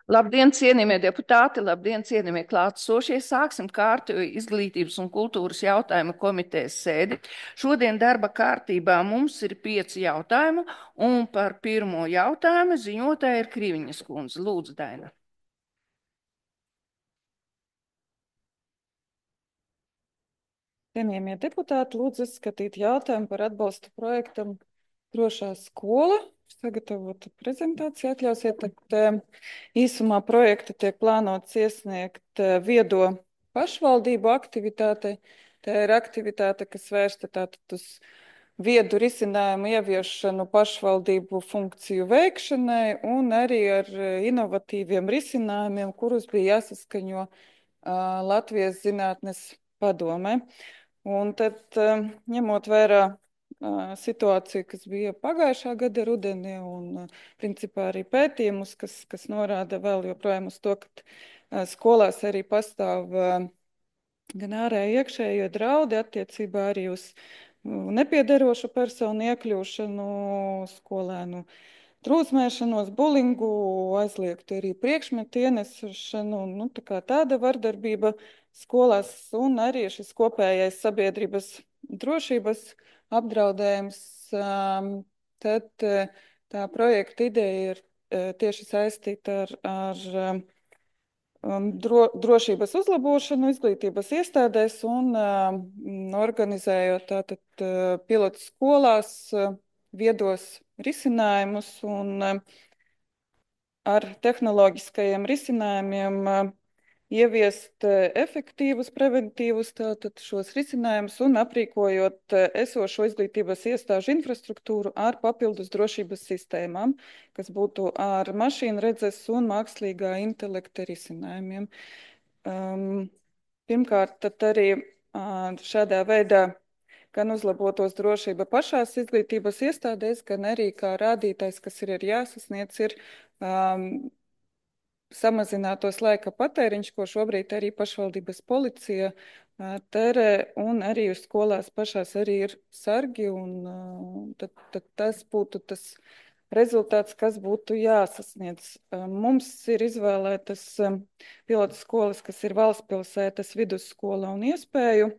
Labdien, cienījamie deputāti, labdien, cienījamie klātesošie. Sāksim kārtējo izglītības un kultūras jautājumu komitejas sēdi. Šodien darba kārtībā mums ir 5 jautājumi, un par pirmo jautājumu ziņotāja ir Kriviņas kundze. Lūdzu, Daina. Cienījamie deputāti, lūdzu izskatīt jautājumu par atbalstu projektam Drošā skola. Sagatavota prezentācija atļausiet, tad īsumā projekta tiek plānots iesniegt viedo pašvaldību aktivitātei. Tā ir aktivitāte, kas vērsta tātad uz viedu risinājumu ieviešanu pašvaldību funkciju veikšanai un arī ar inovatīviem risinājumiem, kurus bija jāsaskaņo Latvijas zinātnes padomē. Un tad, ņemot vērā situāciju, kas bija pagājušā gada rudenī, un principā arī pētījumus, kas norāda vēl joprojām uz to, ka skolās arī pastāv gan ārēji iekšējie draudi attiecībā arī uz nepiederošu personu iekļūšanu, skolēnu trūsmēšanos, bulingu, aizliegt arī priekšmetu ienesšanu, nu, tāda vardarbība skolās un arī šis kopējais sabiedrības drošības apdraudējums. Tad tā projekta ideja ir tieši saistīta ar drošības uzlabošanu izglītības iestādēs un organizējot tātad pilotu skolās viedos risinājumus un ar tehnoloģiskajiem risinājumiem ieviest efektīvus, preventīvus tātad šos risinājumus un aprīkojot esošo izglītības iestāžu infrastruktūru ar papildus drošības sistēmām, kas būtu ar mašīnu redzes un mākslīgā intelekta risinājumiem. Pirmkārt, tad arī šādā veidā gan uzlabotos drošība pašās izglītības iestādēs, gan arī kā rādītājs, kas ir jāsasniedz, ir samazinātos laika patēriņš, ko šobrīd arī pašvaldības policija tērē, un arī uz skolās pašās arī ir sargi, un tad tas būtu tas rezultāts, kas būtu jāsasniedz. Mums ir izvēlētas pilotu skolas, kas ir Valstspilsētas vidusskola un Iespēju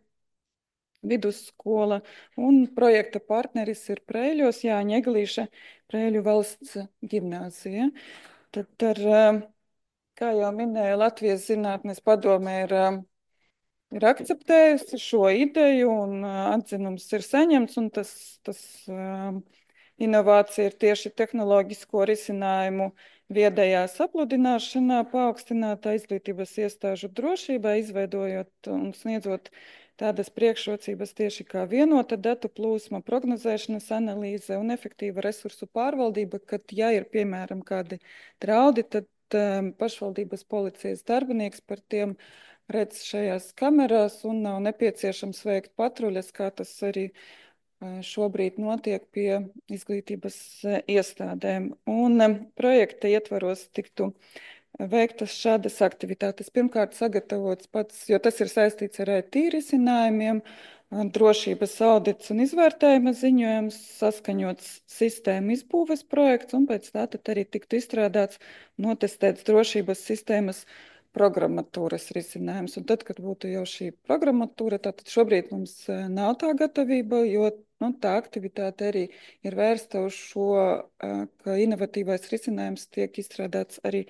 vidusskola, un projekta partneris ir Preiļos Jāņa Eglīša Preiļu valsts ģimnāzija. Tad ar kā jau minēja, Latvijas zinātnes padome ir akceptējusi šo ideju un atzinums ir saņemts, un tas inovācija ir tieši tehnoloģisko risinājumu viedajā sapludināšanā, paaugstinātā izglītības iestāžu drošībā, izveidojot un sniedzot tādas priekšrocības tieši kā vienota datu plūsma, prognozēšanas analīze un efektīva resursu pārvaldība, kad, ja ir, piemēram, kādi draudi, tad pašvaldības policijas darbinieks par tiem redz šajās kamerās un nav nepieciešams veikt patruļas, kā tas arī šobrīd notiek pie izglītības iestādēm. Un projekta ietvaros tiktu veiktas šādas aktivitātes. Pirmkārt, sagatavots pats, jo tas ir saistīts ar IT risinājumiem, drošības audits un izvērtējuma ziņojums, saskaņots sistēmu izbūves projekts, un pēc tā tad arī tiktu izstrādāts notestēts drošības sistēmas programmatūras risinājums. Un tad, kad būtu jau šī programmatūra, tātad šobrīd mums nav tā gatavība, jo tā aktivitāte arī ir vērsta uz šo, ka inovatīvais risinājums tiek izstrādāts arī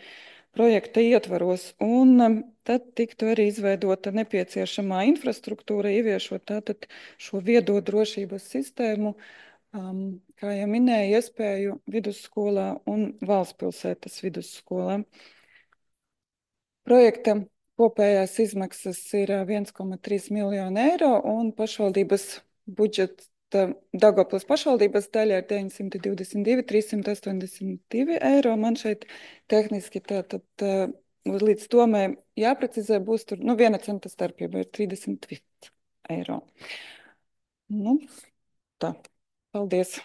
projekta ietvaros, un tad tiktu arī izveidota nepieciešamā infrastruktūra, ieviešot tātad šo viedo drošības sistēmu, kā jau minēju, Iespēju vidusskolā un Valstspilsētas vidusskolā. Projekta kopējās izmaksas ir 1,3 miljonu eiro, un pašvaldības budžeta Daugavpils pašvaldības daļa ir 922 382 eiro. Man šeit tehniski tātad līdz tomai jāprecizē būs tur, 1 centa starpība ir 30 eiro. Tā. Paldies.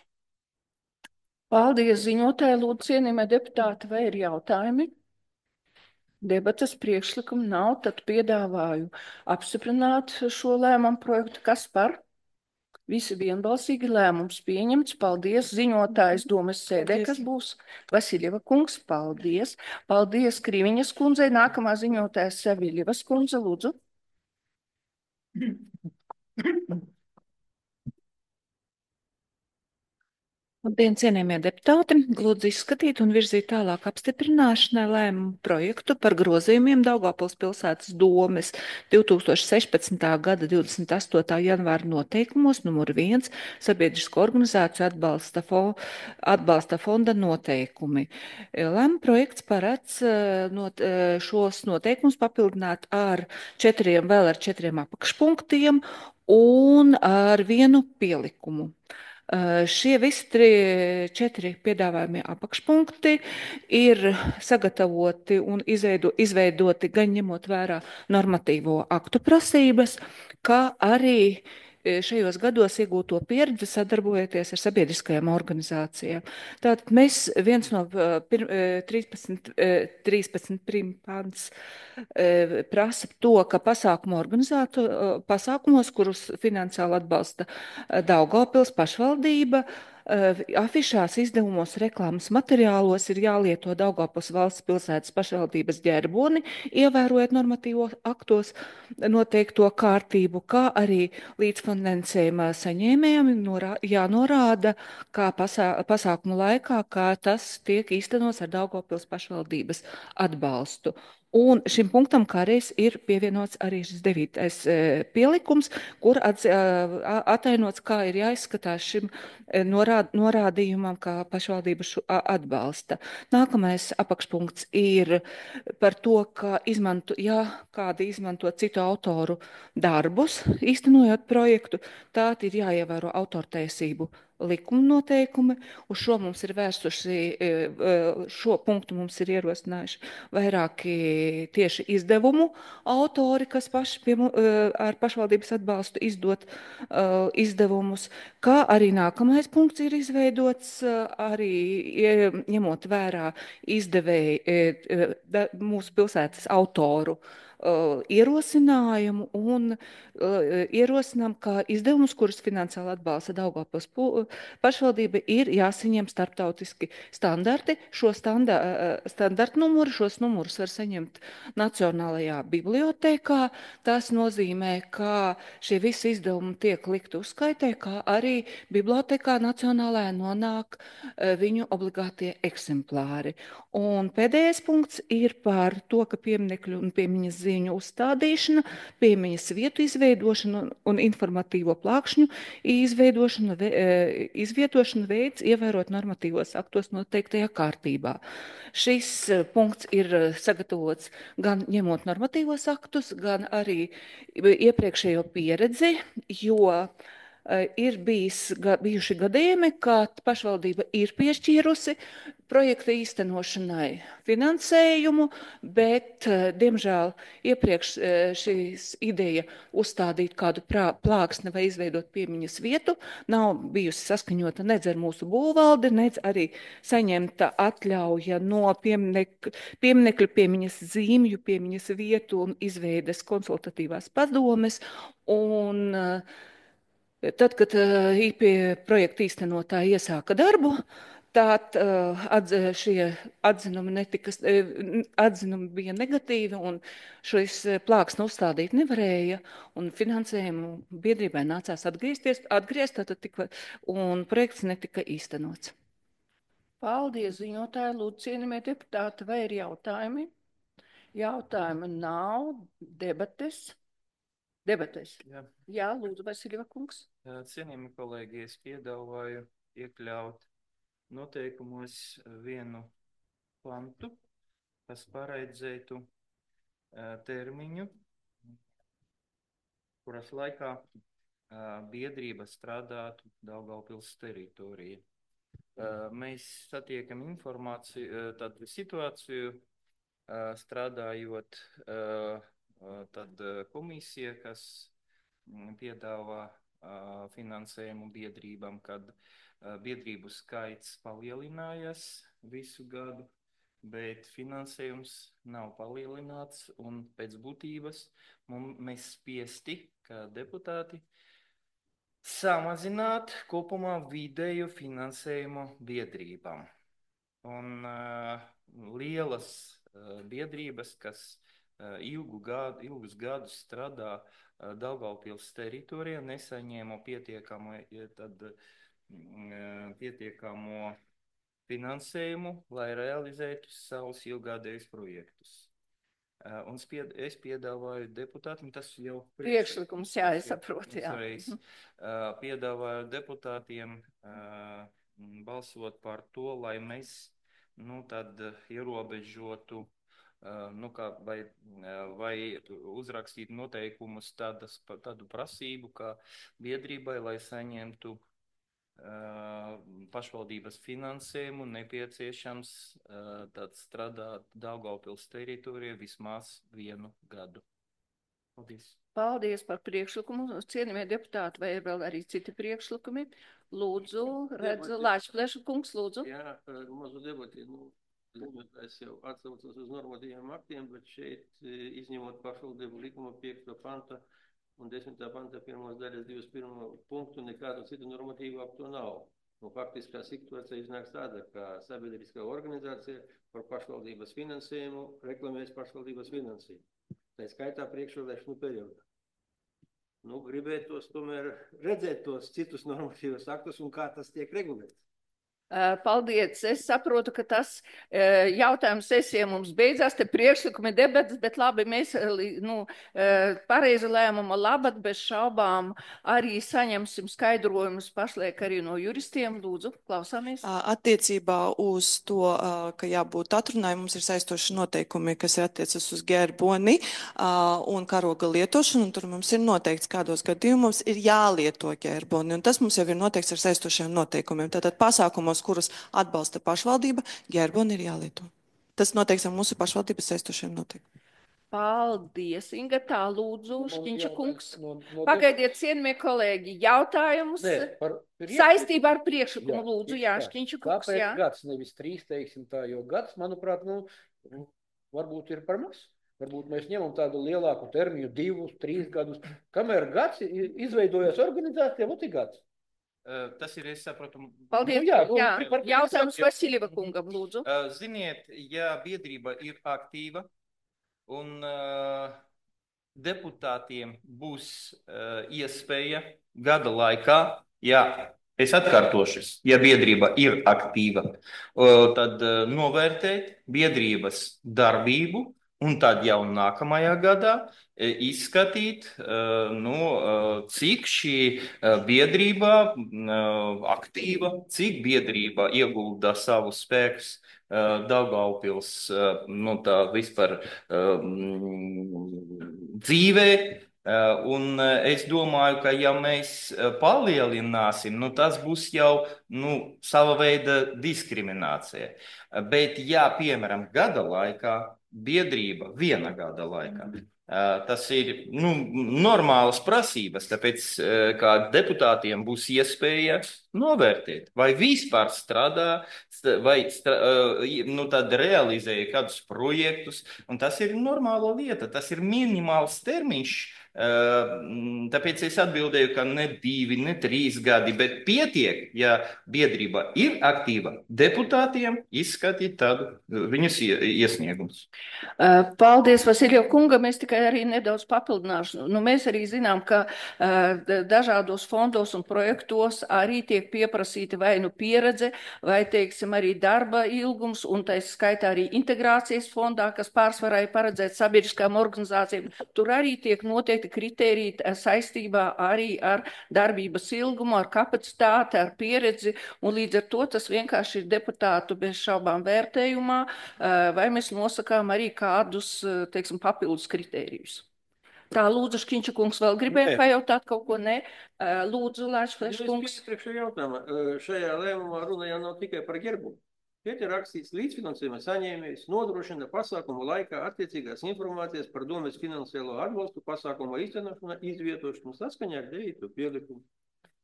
Paldies, ziņotāji, lūdzu, cienījamie deputāti, vai ir jautājumi? Debates priekšlikumu nav, tad piedāvāju apstiprināt šo lēmumu projektu. Kas par? Visi vienbalsīgi lēmums pieņemts. Paldies, ziņotājs domas sēdē, Paldies. kas būs Vasiljeva kungs. Paldies. Paldies Krīviņas kundzei. Nākamā ziņotājs Saviļevas kundze, lūdzu. Labdien, cienījamie deputāti! Lūdzu izskatīt un virzīt tālāk apstiprināšanai lēmumu projektu par grozījumiem Daugavpils pilsētas domes 2016. gada 28. janvāra noteikumos numur 1 sabiedrisko organizāciju atbalsta fonda noteikumi. Lēmuma projekts paredz šos noteikumus papildināt vēl ar 4 apakšpunktiem un ar 1 pielikumu. Šie visi 4 piedāvājumie apakšpunkti ir sagatavoti un izveidoti gan ņemot vērā normatīvo aktu prasības, kā arī šajos gados iegūto pieredzi sadarbojoties ar sabiedriskajām organizācijām. Tātad mēs viens no 13 pants prasa to, ka pasākumos, kurus finansiāli atbalsta Daugavpils pašvaldība, afišās, izdevumos, reklāmas materiālos ir jālieto Daugavpils valsts pilsētas pašvaldības ģerboni, ievērojot normatīvo aktos noteikto kārtību, kā arī līdzfinansējuma saņēmējiem jānorāda, kā pasākumu laikā, kā tas tiek īstenots ar Daugavpils pašvaldības atbalstu. Un šim punktam kādreiz ir pievienots arī šis 9. Pielikums, kur atainots, kā ir jāizskatās šim norādījumam, kā pašvaldība atbalsta. Nākamais apakšpunkts ir par to, ka kādi izmanto citu autoru darbus, īstenojot projektu, tātad ir jāievēro autortiesību likuma noteikumi. Uz šo mums ir šo punktu mums ir ierosinājuši vairāki tieši izdevumu autori, kas paši ar pašvaldības atbalstu izdot izdevumus, kā arī nākamais punkts ir izveidots arī ņemot vērā mūsu pilsētas autoru ierosinājumu un ierosinām, ka izdevumus, kurus finansiāli atbalsta Daugavpils pašvaldība, ir jāsaņem starptautiski standarti. Šos numurus var saņemt Nacionālajā bibliotēkā. Tas nozīmē, ka šie visi izdevumi tiek likti uzskaitē, kā arī bibliotēkā Nacionālajā nonāk viņu obligātie eksemplāri. Un pēdējais punkts ir par to, ka pieminekļu un piemiņas zīņu uzstādīšana, piemiņas vietu izveidošana un informatīvo plākšņu izvietošana veids ievērot normatīvos aktos noteiktajā kārtībā. Šis punkts ir sagatavots gan ņemot normatīvos aktus, gan arī iepriekšējo pieredzi, jo ir bijuši gadījumi, kad pašvaldība ir piešķīrusi projekta īstenošanai finansējumu, bet, diemžēl, iepriekš šīs ideja uzstādīt kādu plāksni vai izveidot piemiņas vietu nav bijusi saskaņota nedz ar mūsu būvvaldi, nedz arī saņemta atļauja no pieminekļu, piemiņas zīmju, piemiņas vietu un izveides konsultatīvās padomes. Un tad, kad projekta īstenotāji iesāka darbu, tad šie atzinumi bija negatīvi, un šis plāksni uzstādīt nevarēja, un finansējumu biedrībai nācās atgriezt, un projekts netika īstenots. Paldies, ziņotāji, lūdzu, cienījamie deputāti, vai ir jautājumi? Jautājumi nav, debates. Jā, lūdzu, Vasiljeva kungs. Cienījami kolēģi, es piedāvāju iekļaut noteikumos vienu pantu, kas paredzētu termiņu, kuras laikā biedrība strādātu Daugavpils teritorijā. Mēs satiekam informāciju, tādu situāciju, strādājot tad komisija, kas piedāvā finansējumu biedrībām, kad biedrību skaits palielinājās visu gadu, bet finansējums nav palielināts, un pēc būtības mēs spiesti, kā deputāti, Samazināt kopumā vidēju finansējumu biedrībām. Un lielas biedrības, kas ilgus gadus strādā Daugavpils teritorijā, nesaņēma pietiekamo finansējumu, lai realizētu savus ilggadējus projektus. Un es piedāvāju deputātiem, tas jau Priekšlikums, jā, es saprotu, jā. Piedāvāju deputātiem balsot par to, lai mēs, tad ierobežotu, vai uzrakstītu noteikumus tādu prasību, kā biedrībai, lai saņemtu pašvaldības finansējumu, nepieciešams strādāt Daugavpils teritorijā vismaz 1 gadu. Paldies. Paldies par priekšlikumu. Cienījamie deputāti, vai ir vēl arī citi priekšlikumi? Lūdzu, redzu, Lāčplēša kungs, lūdzu. Jā, mazu debati, es jau atsaucos uz normatīviem aktiem, bet šeit, izņemot pašvaldību likuma 5. panta un 10. panta 1. daļas 21. punktu, nekādu citu normatīvu aktu nav. Faktiskā situācija iznāks tāda, ka sabiedriskā organizācija par pašvaldības finansējumu reklamēs pašvaldības finansējumu. Tā skaitā priekšvēlēšanu periodā. Gribētos tomēr redzēt tos citus normatīvos aktus un kā tas tiek regulēts. Paldies. Es saprotu, ka tas jautājums sesija mums beidzās, te priekšlikumi debatas, bet labi, mēs pareizi lēmuma labad bez šaubām arī saņemsim skaidrojumus pašlaik arī no juristiem. Lūdzu, klausāmies. Attiecībā uz to, ka jābūt atrunai, mums ir saistoši noteikumi, kas ir attiecas uz gerboni un karoga lietošanu, un tur mums ir noteikts, kādos gadījumos ir jālieto gerboni, un tas mums jau ir noteikts ar saistošiem noteikumiem. Tātad pasākumos, kurus atbalsta pašvaldība, gerboni ir jālieto. Tas noteikts ar mūsu pašvaldības saistošiem noteikumiem. Paldies, Inga, tā lūdzu, Šķiņša kungs. Pagaidiet, cienījamie kolēģi, jautājumus saistībā ar priekšlikumu, lūdzu, jā, Šķiņša kungs, jā. Kāpēc gads, nevis 3, teiksim tā, jo gads, manuprāt, varbūt ir par maz. Varbūt mēs ņemam tādu lielāku termiņu, 2, 3 gadus. Kamēr gads izveidojas organizācija, ir gads. Tas ir, es saprotu. Paldies, jā. Jautājums Vasiljeva kungam, lūdzu. Ziniet, ja biedrība ir aktīva un deputātiem būs iespēja gada laikā, es atkārtošos, ja biedrība ir aktīva, tad novērtēt biedrības darbību un tad jau nākamajā gadā izskatīt, cik šī biedrība aktīva, cik biedrība iegulda savus spēkus Daugavpils, tā vispār dzīvē. Un es domāju, ka ja mēs palielināsim, tas būs jau sava veida diskriminācija. Bet ja, piemēram, gada laikā, biedrība 1 gada laikā, tas ir normālas prasības, tāpēc, kā deputātiem būs iespēja novērtēt, vai vispār strādā, vai tad realizēja kādus projektus, un tas ir normāla lieta, tas ir minimāls termiņš. Tāpēc es atbildēju, ka ne 2, ne 3 gadi, bet pietiek, ja biedrība ir aktīva, deputātiem izskatīt tādu viņas iesniegumus. Paldies, Vasiljev kunga, mēs tikai arī nedaudz papildināšu. Mēs arī zinām, ka dažādos fondos un projektos arī tiek pieprasīta vai pieredze, vai, teiksim, arī darba ilgums, un tā skaitā arī integrācijas fondā, kas pārsvarā ir paredzēts sabiedriskām organizācijām. Tur arī tiek noteikti kritēriji saistībā arī ar darbības ilgumu, ar kapacitāti, ar pieredzi, un līdz ar to tas vienkārši ir deputātu bez šaubām vērtējumā, vai mēs nosakām arī kādus, teiksim, papildus kritērijus. Tā, lūdzu, Šķiņša kungs vēl gribēja pajautāt kaut ko, ne? Lūdzu, Lāčplēša kungs. Šajā lēmumā runa jau nav tikai par gerbumu. Šeit ir rakstīts līdzfinansējuma saņēmējs nodrošina pasākumu laikā attiecīgās informācijas par domes finansiālo atbalstu pasākumu īstenošanu izvietošanu saskaņā ar 9. pielikumu.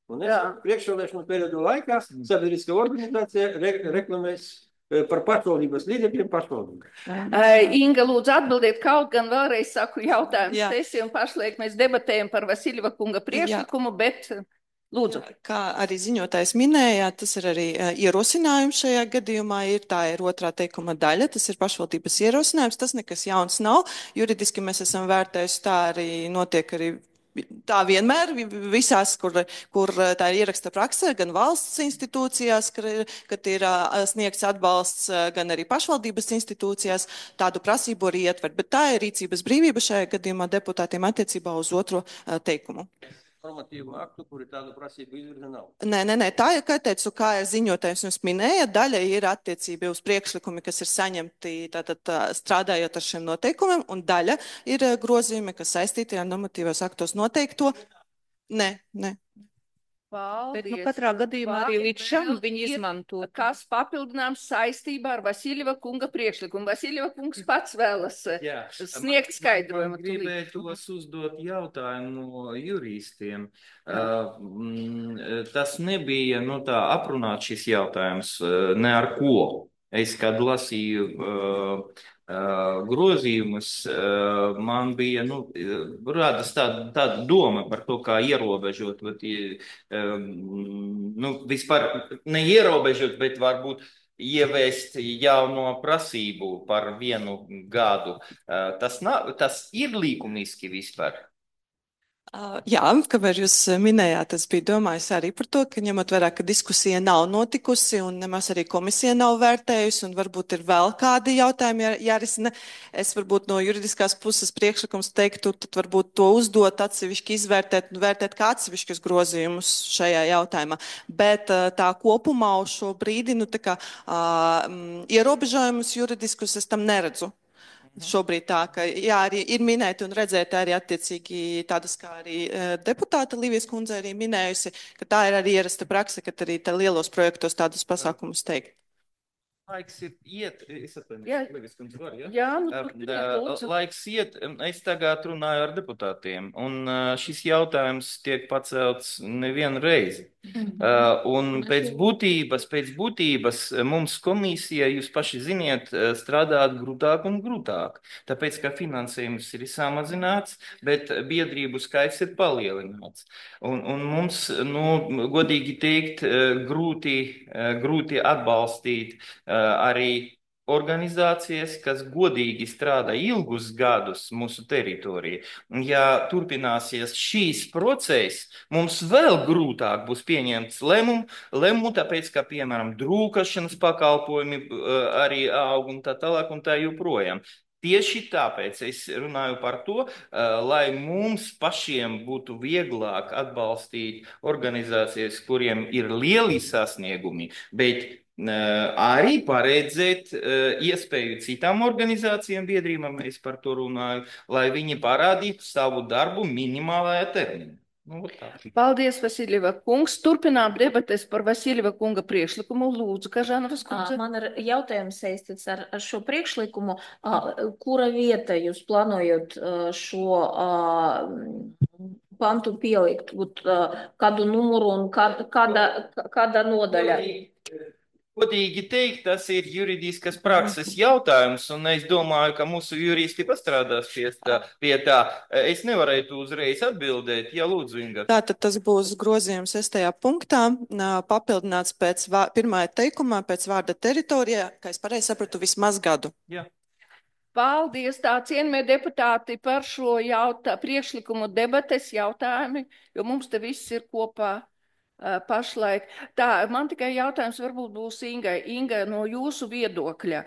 Un priekšvēlēšanu periodu laikā sabiedriskā organizācija reklamēs par pašvaldības līdzekļiem pašvaldību. Inga, lūdzu atbildiet, kaut gan vēlreiz saku jautājumu sesiju, un pašlaik mēs debatējam par Vasiljeva kunga priekšlikumu, bet... Lūdzu. Kā arī ziņotājs minēja, tas ir arī ierosinājums šajā gadījumā. Tā ir otrā teikuma daļa, tas ir pašvaldības ierosinājums. Tas nekas jauns nav. Juridiski mēs esam vērtējuši, tā arī notiek arī. Tā vienmēr visās, kur tā ir ieraksta praksē, gan valsts institūcijās, kad ir sniegts atbalsts, gan arī pašvaldības institūcijās, tādu prasību arī ietver. Bet tā ir rīcības brīvība šajā gadījumā deputātiem attiecībā uz otro teikumu. Normatīvu aktu, kuri tādu prasību izvirza nav. Nē. Tā ir, kā teicu, kā ir ziņotājs jums minēja, daļa ir attiecība uz priekšlikumi, kas ir saņemti tātad strādājot ar šiem noteikumiem, un daļa ir grozījumi, kas saistīti ar normatīvos aktos noteikto. Nē. Bet katrā gadījumā arī līdz šim viņi izmanto. Kas papildināms saistībā ar Vasiljeva kunga priekšlikumu? Vasiljeva kungs pats vēlas sniegt skaidrojumu. Gribētos uzdot jautājumu no juristiem. Tas nebija tā aprunāt šis jautājums ne ar ko. Es, kad lasīju grozījumus, man bija radas tāda doma par to, kā ierobežot, vispār neierobežot, bet varbūt ieviest jauno prasību par 1 gadu. Tas ir likumiski vispār. Jā, kamēr jūs minējāt, es biju domājis arī par to, ka ņemot vērā, ka diskusija nav notikusi un nemaz arī komisija nav vērtējusi un varbūt ir vēl kādi jautājumi jārisina. Es varbūt no juridiskās puses priekšlikums teiktu, tad varbūt to uzdot atsevišķi izvērtēt un vērtēt kā atsevišķus grozījumus šajā jautājumā. Bet tā kopumā uz šo brīdi, ierobežojumus juridiskus es tam neredzu. Šobrīd tā, ka arī ir minēti un redzēti arī attiecīgi tādas, kā arī deputāta Līvijas kundze arī minējusi, ka tā ir arī ierasta prakse, ka arī lielos projektos tādus pasākumus teikt. Laiks iet, es laiks iet, es tagad runāju ar deputātiem, un šis jautājums tiek pacelts nevienu reizi. Un pēc būtības mums komisija, jūs paši ziniet, strādāt grūtāk un grūtāk, tāpēc, ka finansējums ir samazināts, bet biedrību skaits ir palielināts. Un mums, godīgi teikt, grūti atbalstīt arī organizācijas, kas godīgi strādā ilgus gadus mūsu teritorijā. Un ja turpināsies šīs process, mums vēl grūtāk būs pieņemt lēmumu, tāpēc, ka, piemēram, drūkašanas pakalpojumi arī aug un tā tālāk un tā joprojām. Tieši tāpēc es runāju par to, lai mums pašiem būtu vieglāk atbalstīt organizācijas, kuriem ir lieli sasniegumi, bet arī paredzēt iespēju citām organizācijām, biedrībām, es par to runāju, lai viņi parādītu savu darbu minimālajā termiņā. Paldies, Vasiljeva kungs. Turpinām debates par Vasiljeva kunga priekšlikumu. Lūdzu, Kažanovas kundze. Man ir jautājums saistīts ar šo priekšlikumu. Kura vieta jūs plānojat šo pantu pielikt? Kādu numuru un kāda nodaļa? Godīgi teikt, tas ir juridiskas prakses jautājums, un es domāju, ka mūsu juristi pastrādās pie tā. Es nevarētu uzreiz atbildēt, ja lūdzu, Inga. Tātad tas būs grozījums 6. punktā, papildināts pēc pirmā teikumā, pēc vārda teritorijā, kā es pareizi sapratu, vismaz gadu. Jā. Paldies, tā cienījamie deputāti, par šo priekšlikumu debates jautājumi, jo mums te viss ir kopā. Pašlaik. Tā, man tikai jautājums varbūt būs Ingai. Inga, no jūsu viedokļa,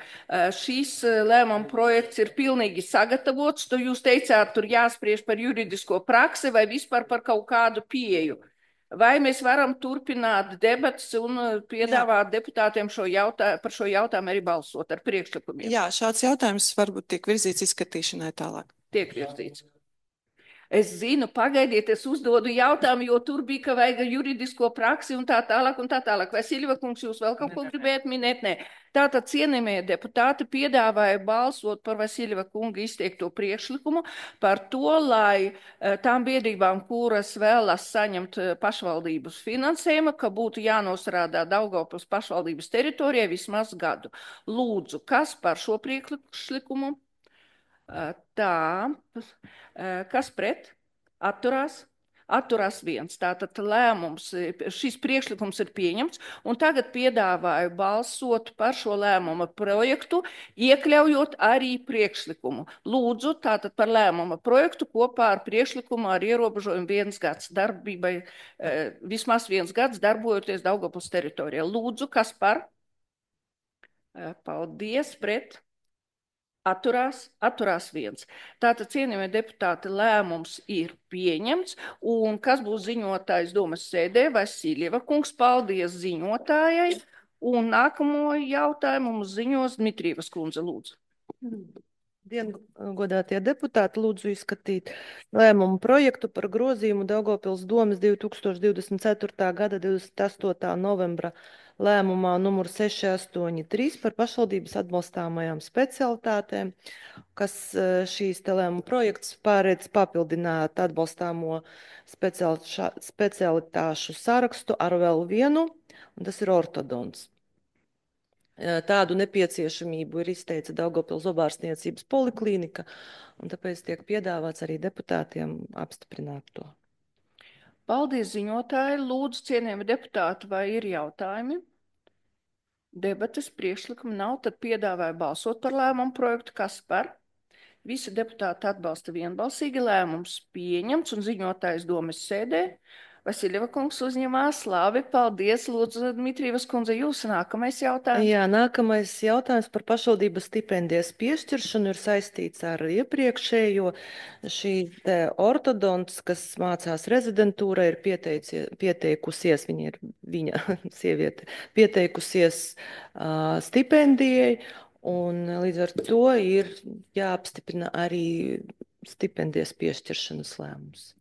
šis lēmuma projekts ir pilnīgi sagatavots, tu jūs teicāt, tur jāspriež par juridisko praksi vai vispār par kaut kādu pieeju. Vai mēs varam turpināt debats un piedāvāt deputātiem par šo jautājumu arī balsot ar priekšlikumiem? Jā, šāds jautājums varbūt tiek virzīts izskatīšanai tālāk. Tiek virzīts. Es zinu, pagaidiet, es uzdodu jautājumu, jo tur bija, ka vajag juridisko praksi un tā tālāk un tā tālāk. Vasiljeva kungs, jūs vēl kaut ko gribējat minēt? Nē. Tātad cienījamie deputāti piedāvāja balsot par Vasiljeva kunga izteikto priekšlikumu par to, lai tām biedrībām, kuras vēlas saņemt pašvaldības finansējumu, ka būtu jānosrādā Daugavpils pašvaldības teritorijai vismaz gadu. Lūdzu, kas par šo priekšlikumu? Tā, kas pret? Atturās? atturās 1. Tātad lēmums, šis priekšlikums ir pieņemts, un tagad piedāvāju balsot par šo lēmuma projektu, iekļaujot arī priekšlikumu. Lūdzu, tātad par lēmuma projektu kopā ar priekšlikumu ar ierobežojumu 1 gads darbībai, vismaz 1 gads darbojoties Daugavpils teritorijā. Lūdzu, kas par? Paldies, pret. Atturās 1. Tātad, cienījamie deputāti, lēmums ir pieņemts, un kas būs ziņotājs domas sēdē? Vasiljeva kungs, paldies ziņotājai, un nākamo jautājumu mums ziņos Dmitrievas kundze, lūdzu. Godātie deputāti, lūdzu izskatīt lēmumu projektu par grozījumu Daugavpils domas 2024. gada 28. novembra lēmumā numur 683 par pašvaldības atbalstāmajām specialitātēm, kas šīs te lēmuma projekts pārēdz papildināt atbalstāmo specialitāšu sarakstu ar vēl vienu, un tas ir ortodonts. Tādu nepieciešamību ir izteica Daugavpils zobārstniecības poliklīnika, un tāpēc tiek piedāvāts arī deputātiem apstiprināt to. Paldies, ziņotāji. Lūdzu, cienījami deputāti, vai ir jautājumi? Debates priekšlikumi nav, tad piedāvāju balsot par lēmumu projektu. Kas par? Visi deputāti atbalsta vienbalsīgi, lēmums pieņemts un ziņotājs domas sēdē. Vasiljeva kungs uzņemās, labi, paldies. Lūdzu, Dmitrievas kundze, jūsu nākamais jautājums. Jā, nākamais jautājums par pašvaldības stipendijas piešķiršanu ir saistīts ar iepriekšējo. Šī ortodonts, kas mācās rezidentūra, ir pieteikusies, viņa sieviete, pieteikusies stipendijai, un līdz ar to ir jāapstiprina arī stipendijas piešķiršanas lēmums.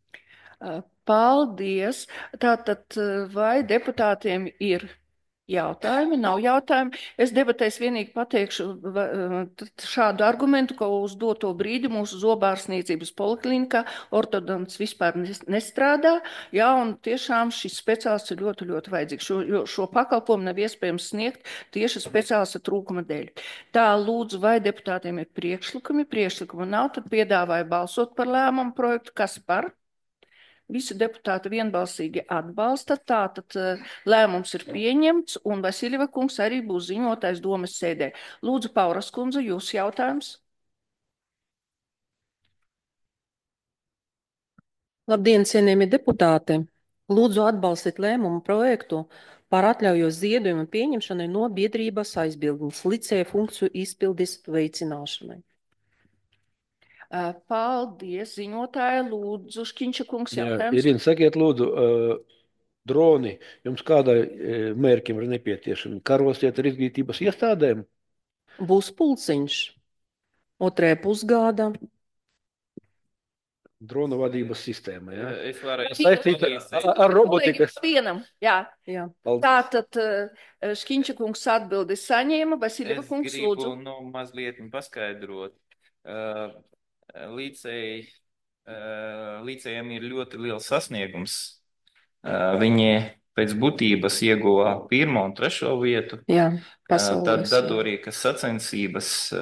Paldies. Tātad, vai deputātiem ir jautājumi? Nav jautājumi. Es debatēs vienīgi pateikšu šādu argumentu, ka uz doto brīdi mūsu zobārstniecības poliklinikā ortodonts vispār nestrādā. Jā, un tiešām šis speciālists ir ļoti, ļoti vajadzīgs. Šo pakalpojumu nav iespējams sniegt tieši speciālista trūkuma dēļ. Tā, lūdzu, vai deputātiem ir priekšlikumi? Priekšlikumi nav, tad piedāvāju balsot par lēmumu projektu. Kas par? Visi deputāti vienbalsīgi atbalsta, tātad lēmums ir pieņemts, un Vasiljeva kungs arī būs ziņotājs domas sēdē. Lūdzu, Pauras kundze, jūsu jautājums? Labdien, cienījamie deputāti! Lūdzu atbalstīt lēmumu projektu par atļaujos ziedojumu pieņemšanai no biedrības aizbildnes licēja funkciju izpildes veicināšanai. Paldies, ziņotāja. Lūdzu, Škiņša kungs, jautājums. Irina, sakiet, lūdzu, droni jums kādai mērķim ir nepieciešami? Karosiet ar izglītības iestādēm? Būs pulciņš 2. pusgada. Drona vadības sistēma, jā? Es varu Saistīt ar robotikas. Vienam, jā. Tātad Škiņša kungs atbildi saņēma, Vasiljeva kungs, lūdzu. Es gribu mazliet paskaidrot. Līdzējiem ir ļoti liels sasniegums. Viņi pēc būtības ieguva 1. un 3. vietu. Jā, Tad datorīkas sacensības,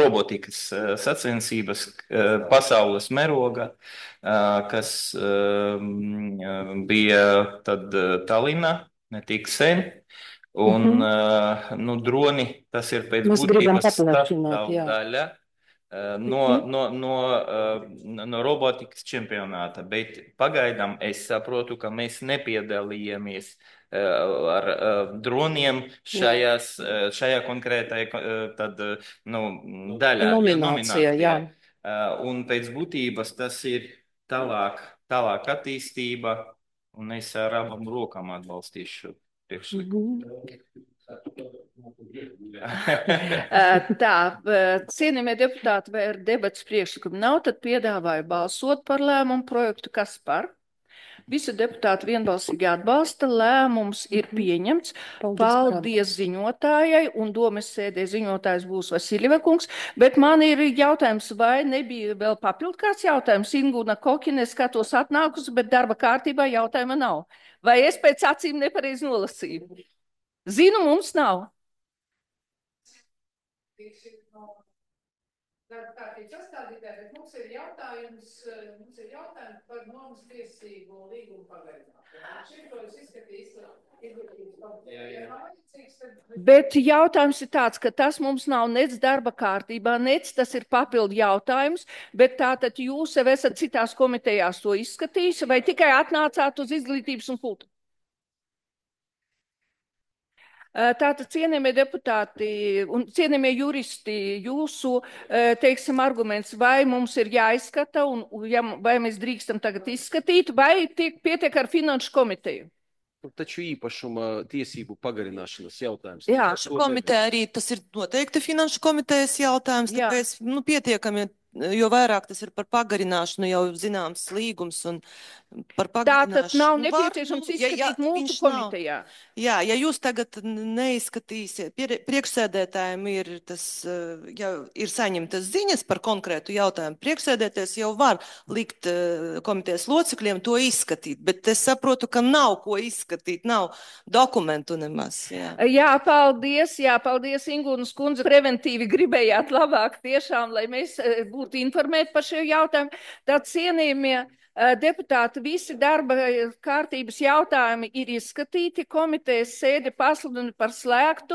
robotikas sacensības pasaules meroga, kas bija tad Tallinā, ne tik sen. Un droni, tas ir pēc būtības sastāvdaļa no robotikas čempionāta, bet pagaidām es saprotu, ka mēs nepiedalījāmies ar droniem šajā konkrētajā daļā. Nominācijā, jā. Un pēc būtības tas ir tālāk attīstība, un es ar abām rokām atbalstīšu priekšlikumu. Tā, cienījamie deputāti, vai ir debats priekšlikumi nav, tad piedāvāju balsot par lēmumu projektu. Kas par? Visi deputāti vienbalsīgi atbalsta, lēmums ir pieņemts. Paldies ziņotājai, un domas sēdē ziņotājs būs Vasiljeva kungs, bet man ir jautājums, vai nebija vēl papildu kāds jautājums? Ingūna Kokine, skatos atnākusi, bet darba kārtībā jautājuma nav. Vai es pēc acīm nepareizi nolasīju? Zinu, mums nav. darba kārtības sastādītāji, bet mums ir jautājums par nomas tiesību līgumu pagarināšanu. Šeit to jūs izskatīs. Bet jautājums ir tāds, ka tas mums nav nec darba kārtībā, nec tas ir papildu jautājums, bet tātad jūs jau esat citās komitejās to izskatījis, vai tikai atnācāt uz izglītības un kultūru? Tātad, cienījamie deputāti un cienījamie juristi, jūsu, teiksim, arguments, vai mums ir jāizskata, un vai mēs drīkstam tagad izskatīt, vai pietiek ar finanšu komiteju? Taču īpašuma tiesību pagarināšanas jautājums. Jā, komiteja arī tas ir noteikti finanšu komitejas jautājums, tāpēc pietiekami, jo vairāk tas ir par pagarināšanu, jau zināms līgums un par pagarināšanu. Tātad nav nepieciešams izskatīt mūsu komitejā. Jā, ja jūs tagad neizskatīsiet, priekšsēdētājiem ir tas, ja ir saņemtas ziņas par konkrētu jautājumu, priekšsēdētājs jau var likt komitejas locekļiem to izskatīt, bet es saprotu, ka nav ko izskatīt, nav dokumentu nemaz. Jā, paldies, Ingūnas kundze, preventīvi gribējāt labāk tiešām, lai mēs būtu informēti par šo jautājumu. Tad cienījamie deputāti, visi darba kārtības jautājumi ir izskatīti, komitejas sēdi pasludina par slēgtu.